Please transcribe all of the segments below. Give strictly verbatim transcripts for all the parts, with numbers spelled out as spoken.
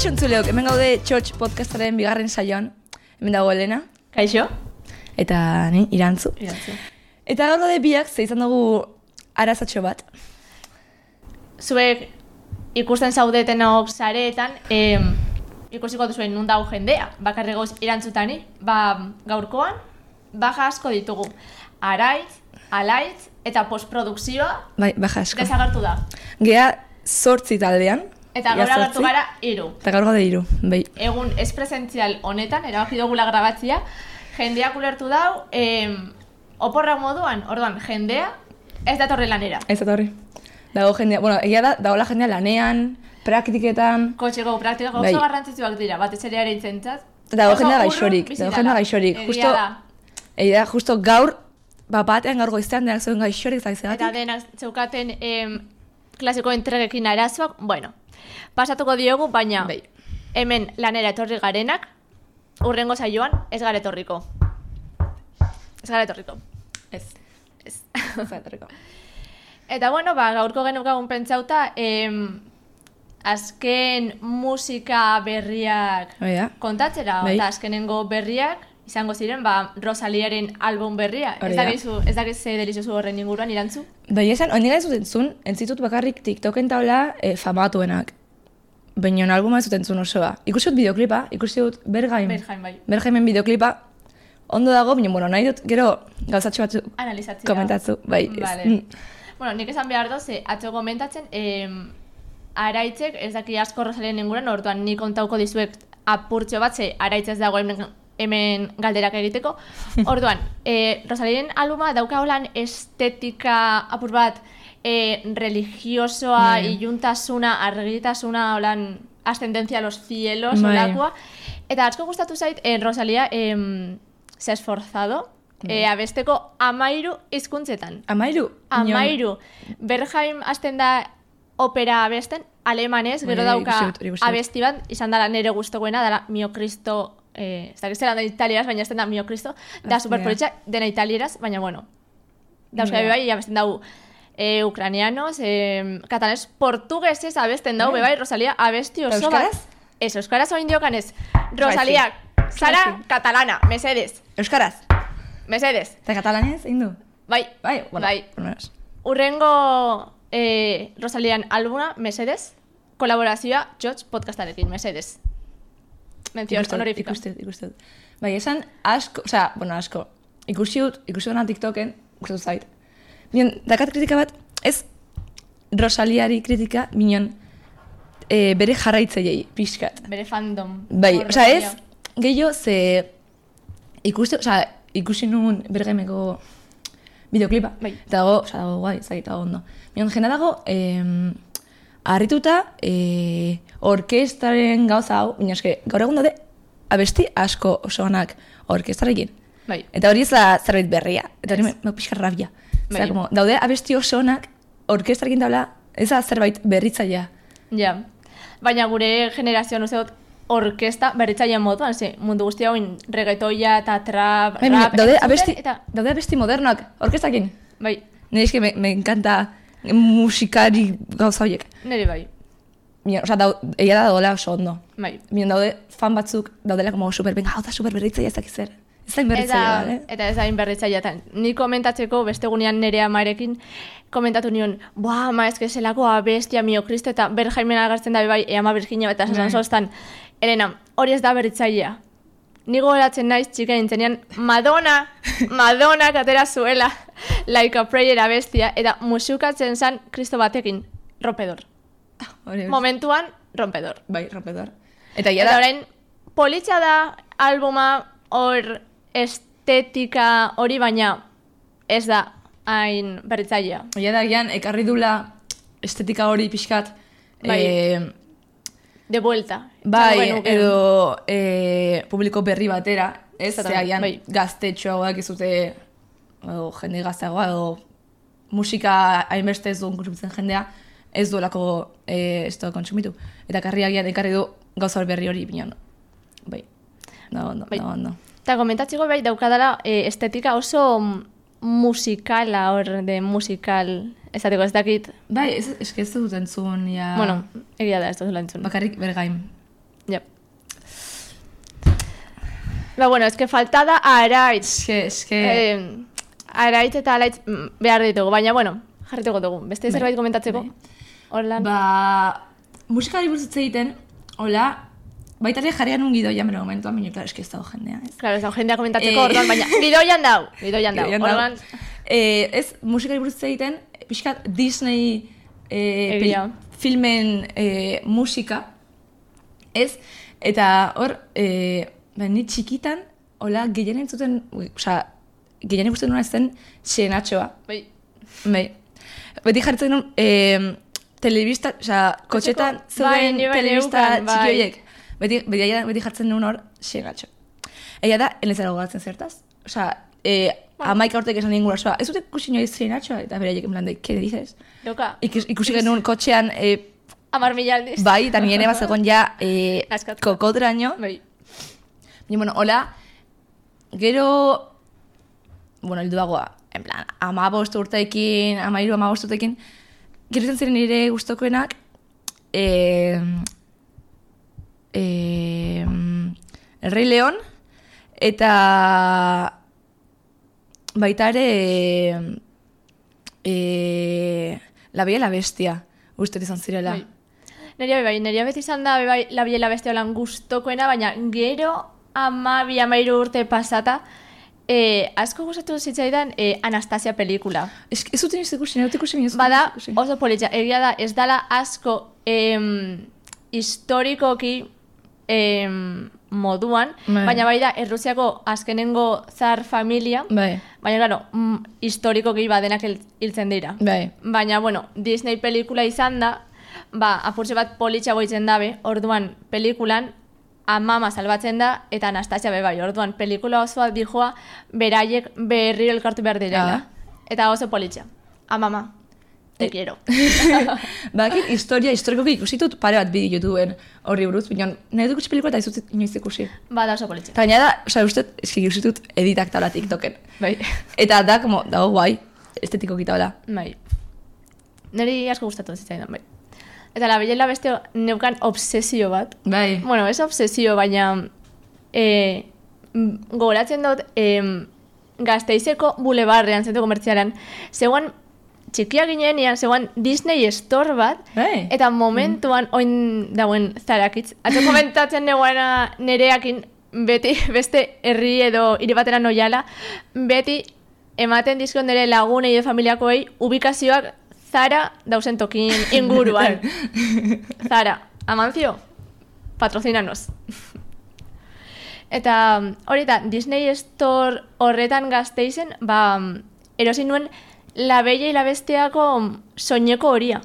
Kaixo entzuleok, hemen gaude Txotx podcastaren bigarren saioan. Hemen dago Elena. Kaixo. Eta ni, Irantzu. Irantzu. Eta gaur gaude biak, ze izan dugu arazatxo bat. Zuek ikusten zaudetenok sareetan, eh, ikusiko duzuen nun dago jendea. Bakarri gauz Irantzutani, ba gaurkoan, baja asko ditugu. Araitz, alaitz eta postprodukzioa Bai, baja asko. desagertu da. Gea zortzi taldean. Eta gaur agertu gara hiru. Eta gaur gaude hiru, bai. Egun ez presentzial honetan, erabaki dugula grabatzia, jendeak ulertu dau, eh, oporrak moduan, orduan, jendea ez datorre lanera. Ez datorri. Dago jendea, bueno, egia da, dagoela jendea lanean, praktiketan. Kotxeko praktikako Bai. oso garrantzitsuak dira, batez ere ere intzentzat. Dago jendea gaixorik, dago jendea gaixorik. Justo, egia da, justo gaur, ba, batean gaur goiztean denak zeuden gaixorik zaizagatik. Eta denak zeukaten em, klasiko entregekin arazoak, bueno, pasatuko diogu, baina Bai. hemen lanera etorri garenak, urrengo saioan ez gara etorriko. Ez gara etorriko. Ez. Ez. Ez etorriko. Eta bueno, ba, gaurko genukagun pentsauta, em, azken musika berriak Bai da. kontatzera, Bai. eta azkenengo berriak izango ziren, ba, Rosaliaren album berria. Hori Ez da. dakizu, ez dakiz ze delizozu horren inguruan, Irantzu? Bai, esan, hori gara zuten zuen, entzitut bakarrik TikToken taula e, famatuenak. Baina albuma ez zuten zuen osoa. Ikusi dut bideoklipa, ikusi dut Bergaim. Bergaim, bai. Bergaimen bideoklipa ondo dago, baina, bueno, nahi dut gero gauzatxo batzu Analizatzea. komentatzu. Bai, ez. Vale. Mm. Bueno, nik esan behar doz, atzo komentatzen, em, araitzek ez daki asko Rosalien inguruan, orduan nik kontauko dizuek apurtxo bat, ze araitz ez dago hemen, hemen galderak egiteko. Orduan, e, Rosalien albuma dauka holan estetika apur bat e, religiosoa, Bai. iluntasuna, argitasuna, holan ascendencia a los cielos, Bai. olakoa. Eta asko gustatu zait, eh, Rosalia em, se ha esforzado, Bai. e, abesteko amairu hizkuntzetan. Amairu. Amairu. Berghain hasten da opera abesten, alemanez, gero Bai, dauka ikusi dut, ikusi dut. abesti bat, izan dela nire gustokoena, dela Mio Cristo, eh, ez dakit zelan da italieraz, baina hasten da Mio Cristo, da Ah, superpolitxa, dena italieraz, baina bueno. Dauzka Ja. bai, abesten dau eh, ucranianos, eh, katalanez, portuguesez abesten dau, Bai. bebai, Rosalia abesti oso Euskaraz? bat. Ez, euskaraz oin diokanez. Rosalia, zara Bai, sí. katalana, mesedez, Euskaraz. mesedez. Eta katalanez, egin du? Bai, Bai, bueno, bai. por lo menos. Urrengo eh, Rosalian albuma, mesedez, kolaborazioa Txotx podcastarekin, mesedez. Mención Ikusten dut, honorífica. ikusten dut, ikusten dut. Bai, esan asko, osea, bueno, asko. Ikusi dut, ikusi dut TikToken, gustatu zait. Bion, dakat kritika bat, ez Rosaliari kritika, bion, e, bere jarraitzaileei, pixkat. Bere fandom. Bai, Hor, osea, ez, Rosalia. gehiago, ze ikuste, osea, ikusi nuen bergaimeko bideoklipa. Bai. Eta dago, osea, dago guai, ez dakit, dago ondo. Bion, jena dago, em, harrituta, e, orkestraren gauza hau, baina eske, gaur egun daude, abesti asko oso onak orkestrarekin. Bai. Eta hori ez da zerbait berria. Eta hori Ez. me, me pixka rabia. Bai. Zera, como, daude abesti oso onak orkestrarekin tabla, ez da zerbait berritzailea. Ja. Baina gure generazioan uste dut orkesta berritzailean moduan, ze mundu guzti hauin reggaetoia eta trap, Bai, baina rap, daude entzuten, abesti, eta, daude abesti modernoak orkestrarekin. bai, Nire eske me, me encanta musikari gauza horiek. nire bai, Bien, o sea, dau, egia da daudela oso ondo. bai. Bien, daude fan batzuk daudela como super, venga, hau da super berritzaia ez dakiz zer. Ez da inberritzaia, Eta, bale? eta ez da inberritzailea. Eta ni komentatzeko beste gunean nire amarekin komentatu nion, boa, ama, ez que zelako abestia Mio Cristo eta Berjaimen agertzen da bai, e ama Virginia eta sasan Bai. sostan. Elena, hori ez da berritzailea. Ni gogoratzen naiz txika nintzenean Madonna, Madonna atera zuela Like a Prayer abestia eta musukatzen zan Kristo batekin, rompedor. Hori, hori. Momentuan, rompedor. Bai, rompedor. Eta ja Eta da, orain, politxa da albuma hor estetika hori, baina ez da hain berritzailea. ja da, gian, ekarri dula estetika hori pixkat, Bai. eh, De vuelta. bai, Esango genuke. edo eh, publiko berri batera, ez, Zata, zera, gian, bai. gaztetxoagoak ez dute, edo jende gazteagoa, edo musika hainbeste ez duen kontsumitzen jendea, ez duelako eh, ez du kontsumitu. Eta karriagian ekarri du gauza berri hori binean. Bai, da ondo, Bai. da ondo. Eta komentatzeko bai daukadala e, estetika oso musikala hor de musikal, esateko ez dakit. Bai, ez, eske ez dut entzun, ja... Bueno, egia da ez dut entzun. Bakarrik Bergaim. Ba, bueno, eske faltada araitz. Eske, eske... Eh, araitz eta alaitz behar ditugu, baina, bueno, jarrituko dugu. Beste zerbait komentatzeko? Horlan. Ba, musikari buruz hitz egiten, hola, baita ere jarrian un gidoian, bero momentuan, baina, klar, eski ez dago jendea, ez? Claro, ez dago jendea komentatzeko, eh... orduan, baina, gidoian dau, gidoian dau, orduan... Eh, ez, musikari buruz hitz egiten, pixkat Disney eh, peli, filmen eh, musika, ez? Eta hor, eh, ba, ni txikitan, hola, gehien entzuten, oza, gehien ikusten nuna ez zen Xenatxoa. Bai. Bai. Beti jartzen nuen, eh, telebista, oza, kotxetan zeuden bai, telebista bai. txiki horiek. Beti, beti, beti jartzen nuen hor Xenatxo. Egia da, enezera gogatzen zertaz. Oza, eh, bueno. Amaika urtek esan ningura, oza, ez dute ikusi noiz Xenatxoa, eta beraiek en plan de, ¿qué dices? Loka. Ikus, ikusi genuen kotxean, eh, Amar mila aldiz. bai, eta nire bat zegoen ja eh, kokodraino. Bai. Y bueno, hola, gero, bueno, helduagoa, en plan, amabost urteekin, amairu amabost urteekin, gero izan ziren nire gustokoenak, eh, eh, El Rey León, eta baita ere, eh, eh, La Bella y la Bestia, uste izan zirela. Bai. Neria bai, neria beti izan da bai, La Bella y la Bestia holan gustokoena, baina gero amabi amairu urte pasata, eh, asko gustatu zitzaidan eh, Anastasia pelikula. Ez, ez duten ez ikusi, ez ikusi minez. Bada, oso politxa, egia da, ez dala asko em, historikoki em, moduan, bai. Baina bai da, Errusiako azkenengo zar familia, Bai. baina, claro, mm, historikoki badenak hiltzen dira. Bai. Baina, bueno, Disney pelikula izan da, ba, apurtxe bat politxa boitzen dabe, orduan pelikulan, amama salbatzen da, eta Anastasia bebai, orduan pelikula osoa dijoa, beraiek berriro elkartu behar direla. Ah. Eta oso politxa. Amama, te quiero. Bakit, historia, historikoki ikusitut pare bat bideo YouTubeen horri buruz, baina nahi dut ikusi pelikula eta izut inoiz ikusi. Ba, da oso politxa. Eta gaina da, oza, uste, eski ikusitut editak taula TikToken. Bai. Eta da, como, dago guai, estetiko taula. Bai. Neri asko gustatu zitzaidan, bai. Eta La Bella y la Bestia neukan obsesio bat. Bai. Bueno, ez obsesio, baina eh, gogoratzen dut eh, Gasteizeko bulebarrean, zentro komertzialan, zegoen txikia ginean, zegoen Disney Store bat, Bai. eta momentuan, mm. oin dauen zarakitz. Atzo komentatzen neguena nereakin, beti, beste herri edo hiri batera noiala, beti ematen dizkon nire lagunei edo familiakoei ubikazioak Zara dausen tokin inguruan. Zara, Amancio, patrocinanos. Eta hori da, Disney Store horretan Gasteizen, ba, erosin nuen La Bella y la Bestiako soineko horia.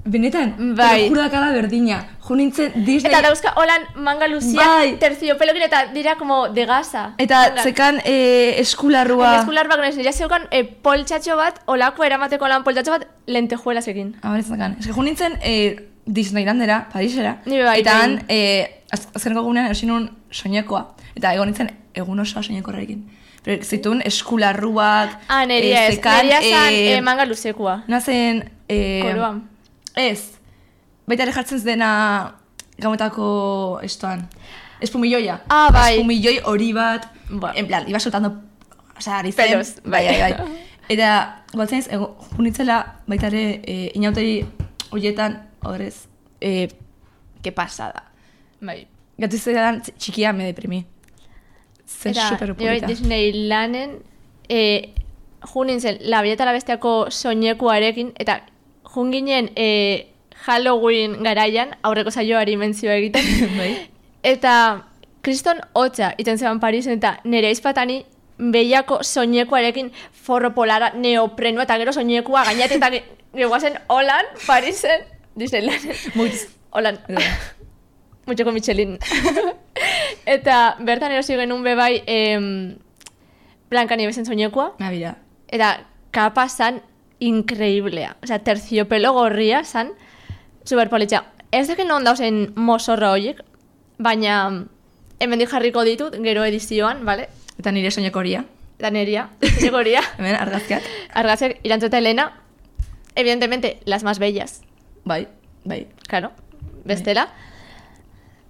Benetan, bai. Jurakala berdina. Jo nintzen Disney... Eta dauzka holan manga luzia, bai. terciopelokin eta dira como de gasa. Eta Hola. Zekan eh, eskularrua... Eskularruak nez, nire zeukan eh, poltsatxo bat, olako eramateko lan poltsatxo bat, lentejuelas egin. Ah, ez zekan. Ez que jo nintzen eh, Disneylandera, Parisera. Nire bai. Eta han, eh, azkeneko gunean erosin nuen soinekoa. Eta egon nintzen egun osoa soinekorrekin. Pero zituen eskularruak... Ah, neria ez. Neria zan eh, manga luzekoa. Nazen... Eh, Koroa. Ez. Baita ere jartzen dena gauetako estoan. Espumilloia. Ah, bai. Espumilloi hori bat. Ba. En plan, iba soltando... Osa, ari zen. Pelos. Bai, bai, bai. Eta, guatzen ez, junitzela baita ere e, inauteri horietan, horrez, e, que pasada. Bai. Gatu zelan txikia me deprimi. Zen super polita. Disneylanen, e, junintzen, La Bella eta la Bestiako soinekuarekin, eta junginen e, Halloween garaian, aurreko saioari mentzioa egiten. Bai. Eta kriston hotza iten zeban Parisen, eta nire izpatani behiako soinekuarekin forro polara, neoprenoa, eta gero soinekua gainat, eta geguazen holan Parisen, Disneylanen. Muitz. Holan. Muchoko Michelin. Eta bertan erosi genuen bebai em, Blanca Nievesen soinekua. Ah, bira. Eta kapa zan increiblea. Osea, terciopelo gorria zan superpolitxa. Ez deken non dauzen mozorra horiek, baina hemendik jarriko ditut, gero edizioan, vale? Eta nire soineko horia. Eta neria, soineko horia. Hemen, argazkiak. Argazkiak, Irantzuta Elena, evidentemente, las más bellas. Bai, bai. Claro, bestela.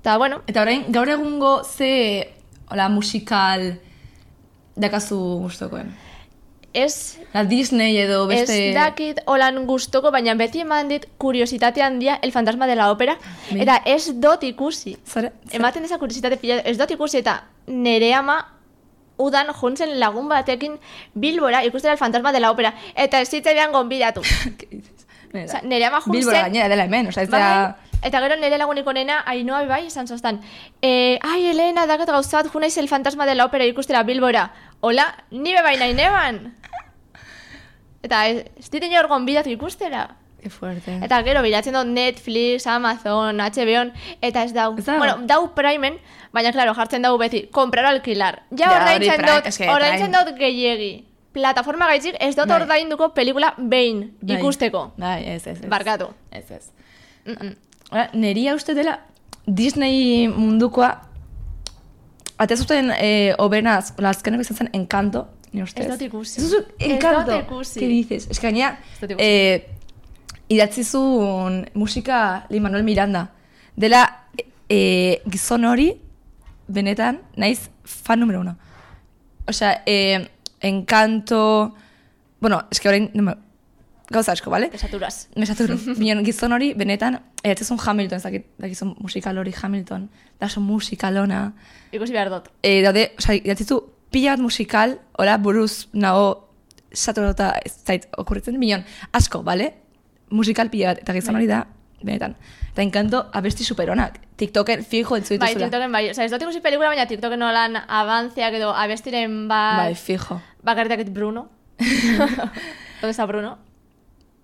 Eta, bueno. Eta orain, gaur egungo ze hola, musikal dakazu gustokoen? Ez, La Disney edo beste... ez dakit holan gustoko, baina beti eman dit kuriositate handia El fantasma de la ópera, Bai. eta ez dot ikusi. Zare? Ematen eza kuriositate pila, ez dot ikusi, eta nere ama udan juntzen lagun batekin Bilbora ikustera El fantasma de la ópera, eta ez zitzaidan gonbidatu. Osa, nere ama juntzen... Bilbora gainera dela hemen, oza, ez da... Bai, eta gero nire lagunik onena, Ainoa bai, esan zoztan, e, ai, Elena, dakat gauzat, junaiz El fantasma de la ópera ikustera Bilbora. Hola, ni bebai nahi neban. Eta ez, ez ditin hor gonbidatu ikustera. Que fuerte. Eta gero bilatzen dut Netflix, Amazon, H B O, eta ez dau. Ez dago? Bueno, dau Primen, baina, claro, jartzen dau beti, comprar o alquilar. Ja, Ja, ordaintzen hori Prime, dut, eske ordaintzen Prime. dut gehiegi. Plataforma gaitzik ez dut Bai. ordainduko pelikula behin Bai. ikusteko. Bai, ez, ez, ez. Barkatu. Ez, ez. Mm -mm. Ora, neria uste dela Disney mundukoa ate zuten eh, obenaz, azkeneko izan zen Encanto, ni ustez. Ez dut ikusi. Ez dut Ez Encanto. dut ikusi. ¿Qué dices? Es que gainera, Ez dut ikusi. eh, idatzi zuen musika Lin-Manuel Miranda. Dela eh, gizon hori, benetan, naiz fan numero uno. Osea, eh, Encanto... Bueno, es que orain... No me, gauza asko, ¿vale? Desaturaz. Me saturo. Bion gizon hori, benetan, edatzezun Hamilton, ez dakit, dakizun musikal hori Hamilton, da oso musikalona. Ikusi behar dut. E, daude, osea, idatzizu pila bat musikal, ora buruz nago saturota ez zait okurritzen, bion asko, bale? Musikal pila bat, eta gizon hori da, benetan. Eta Encanto abesti superonak. TikToken fijo entzu Bai, dituzula. TikToken bai. Osa, ez dut ikusi pelikula, baina TikToken nolan avantziak edo abestiren bat... Bai, fijo. Bakarritakit Bruno. ¿Dónde está Bruno?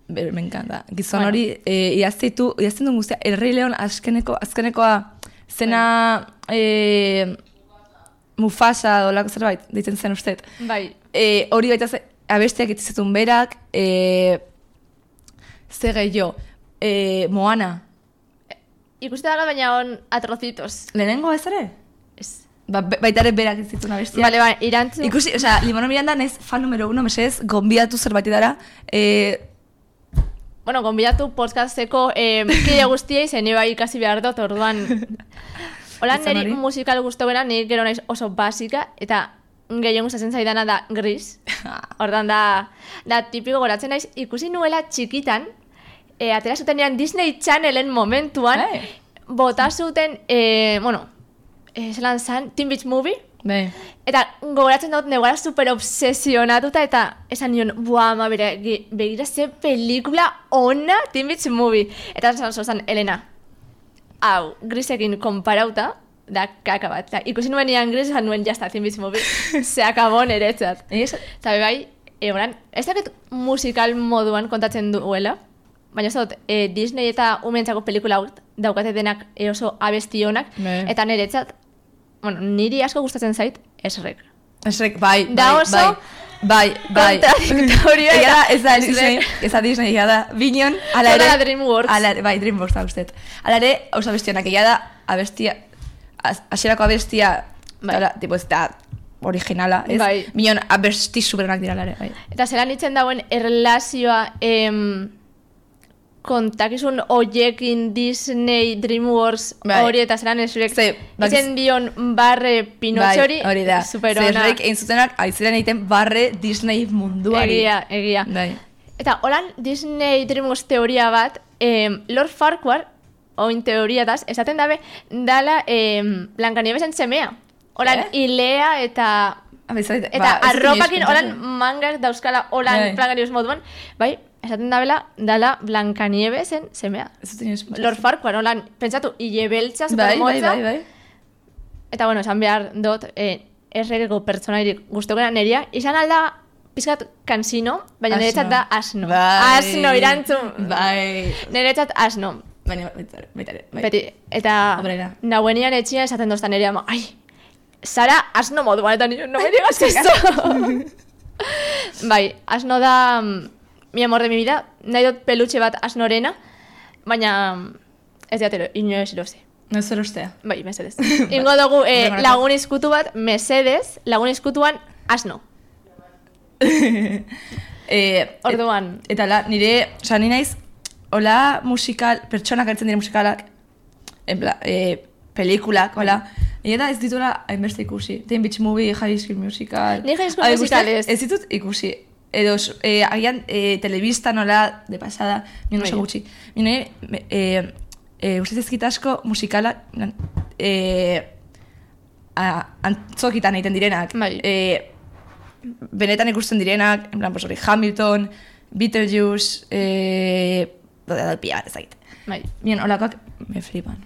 Ber, me encanta. Gizon Bueno. hori, eh, idaztitu, idazten duen guztia, El Rey León azkeneko, azkenekoa zena eh, Mufasa dolako zerbait, deitzen zen ustet. Bai. Eh, hori baita ze, abestiak itzizetun berak, eh, ze gehiago, eh, Moana. Ikusi da baina on atrocitos. Lehenengo ez ere? Ez. Ba, be- baita ere berak itzitun abestiak. Vale, bai, irantzu. Ikusi, osea, Lin-Manuel Miranda naiz fan numero uno, mesedez, gonbidatu zerbait dara. Eh, Bueno, gonbidatu podcasteko eh, kide guztiei zen bai ikasi behar dut, orduan. Holan Izan niri hori? musikal guztogena, nik gero naiz oso basika, eta gehien gustatzen zaidana da Gris. Ordan da, da tipiko goratzen naiz, ikusi nuela txikitan, e, atera zutenean Disney Channelen momentuan, Bai. bota zuten, e, bueno, e, zelan zan, Teen Beach Movie, bai. eta gogoratzen dut negara super obsesionatuta, eta esan nion, buah, ma, bera, ge- begira ze pelikula ona Teen Beach Movie. Eta esan zozan, Elena, hau, Grisekin konparauta, da kaka bat. Eta ikusi nuenean Gris, esan nuen, jazta, Teen Beach Movie, se akabo niretzat. Egia esan- Eta bai, e, oran, ez dakit musikal moduan kontatzen duela, baina ez dut, e, Disney eta umentzako pelikula hau daukate denak e, oso abestionak, Bai. eta niretzat, bueno, niri asko gustatzen zait, esrek. Esrek, bai, Da bai, oso bai, bai, bai. kontradiktorio Egia da, eta ez da esrek. Disney, ez da Disney, egia da, Binon, ala Toda ere... la DreamWorks. Ala ere, bai, DreamWorks da usted. Ala ere, oso abestionak, egia da, abestia, az- hasierako abestia, Bai. bai. tipo, ez da originala, ez? Bai. Binon, abesti superonak dira, ala ere, bai. Eta zelan itzen dagoen erlazioa em, kontakizun oiekin Disney, DreamWorks Bai. hori eta zelan esrek Ze, bakiz- itzen dion barre Pinotxo hori, hori da. superona. Zerrek egin zutenak, aiziren egiten barre Disney munduari. Egia, egia. Bai. Eta holan Disney DreamWorks teoria bat, em, Lord Farquhar, oin teoriataz, esaten dabe, dala em, Blankaniebesen semea. Holan, Eh? ilea eta... Ah, bai, zaite- Eta ba, ez dut arropakin inoiz holan pentsatu. mangas dauzkala holan Bai. Blankaniebes moduan, bai, esaten dabela, dala Blankaniebesen semea. Ez dut inoiz pentsatu. Lord Farquhar, holan, pentsatu, hile beltza, Bai, bai, supermotza. bai, bai. Eta, bueno, esan behar dut, eh, erregeko pertsonairik guztokena neria, izan alda pizkat kansino, baina Asno. niretzat da asno. Bai. Asno, irantzun. Bai. Niretzat asno. Baina, baita ere, baita ere, bai. Beti, eta Obrera. nahuenian etxia esaten doztan nerea, ama, ai, Sara asno moduan, eta nire, no me digas esto. Bai, asno da, mm, mi amor de mi vida, nahi dut pelutxe bat asnorena, baina mm, ez diatero, inoez erosi. No zer ustea. Bai, mesedez. Ingo dugu eh, Horregatik. lagun izkutu bat, mesedez, lagun izkutuan asno. eh, Orduan. Et, eta la, nire, oza, ni naiz, hola musikal, pertsonak hartzen dire musikalak, en pla, eh, pelikulak, hola, Eta ez dituela hainbeste ikusi. Teen Beach Movie, High School Musical... Ni High School Musical ez. Ez ditut ikusi. Edo, eh, agian, eh, telebista nola, de pasada, nien oso gutxi. Nien, eh, eh, ustez ezkita asko musikala, eh, antzokitan egiten direnak. Bai. Eh, benetan ikusten direnak, en plan, pues hori, Hamilton, Beetlejuice, eh, pia bat ezagite. Bai. Bien, holakoak me flipan.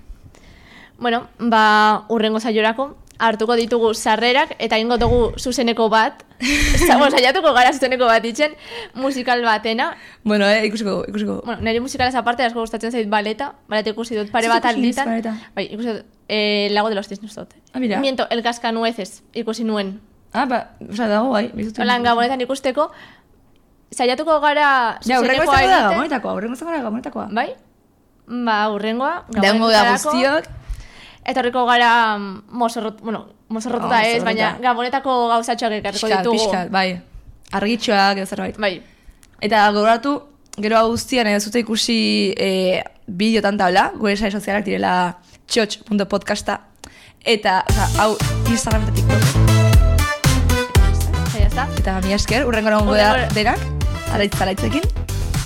Bueno, ba, urrengo saiorako hartuko ditugu sarrerak eta ingo dugu zuzeneko bat. Bueno, saiatuko gara zuzeneko bat itzen, musikal batena. Bueno, eh, ikusiko, ikusiko. Bueno, nire musikalaz aparte asko gustatzen zait baleta, baleta ikusi dut pare bat alditan. Bai, ikusi dut, eh, Lago de los Cisnes dut. Ah, mira. Miento, El Cascanueces ikusi nuen. Ah, ba, oza, dago, bai. Holan gabonetan ikusteko, saiatuko gara ja, zuzenekoa egiten. Ja, urrengo egiten. da gabonetakoa, urrengo da gabonetakoa. Bai? Ba, urrengoa, gabonetarako. Da guztiok. Eta horreko gara mozorrot, bueno, mozorrotuta oh, ez, baina gabonetako gauzatxoak ekarriko ditugu. Piskat, bai. Argitxoak edo zerbait. Bai. Eta gogoratu, gero hau guztian edo zute ikusi e, bideotan tabla, gure sare sozialak direla txotx punto podcasta. Eta, oza, hau Instagram eta TikTok. Eta, eta mi esker, urrengo nagongo da denak, araitz araitzekin.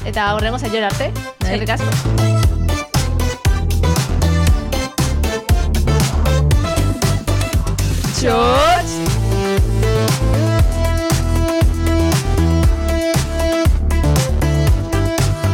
Eta horrengo zaior arte, bai. eskerrik asko.